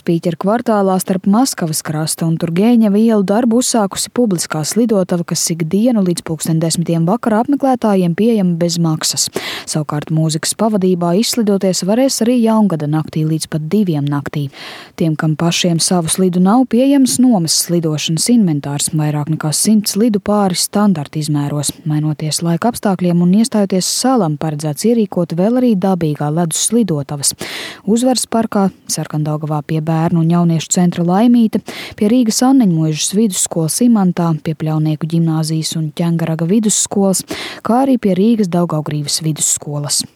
Spīķeru kvartālā starp Maskavas krasta un Turgeņeva ielu darbu uzsākusi publiskā slidotava, kas ikdienu līdz 10:00 vakarā apmeklētājiem pieejama bez maksas. Savukārt mūzikas pavadībā izslidoties varēs arī Jaungada naktī līdz pat 2 naktī. Tiem, kam pašiem savu slidu nav, pieejams nomas slidošanas inventārs, vairāk nekā 100 slidu pāri standarta izmēros. Mainoties laika apstākļiem un iestājoties salam, paredzēts ierīkot vēl arī dabīgā ledus slidotavas. Uzvaras parkā, Sarkandaugavā pie bērnu un jauniešu centra Laimīte, pie Rīgas Anneņmuižas vidusskolas Imantā, pie Pļaunieku ģimnāzijas un Ķengaraga vidusskolas, kā arī pie Rīgas Daugavgrīvas vidusskolas.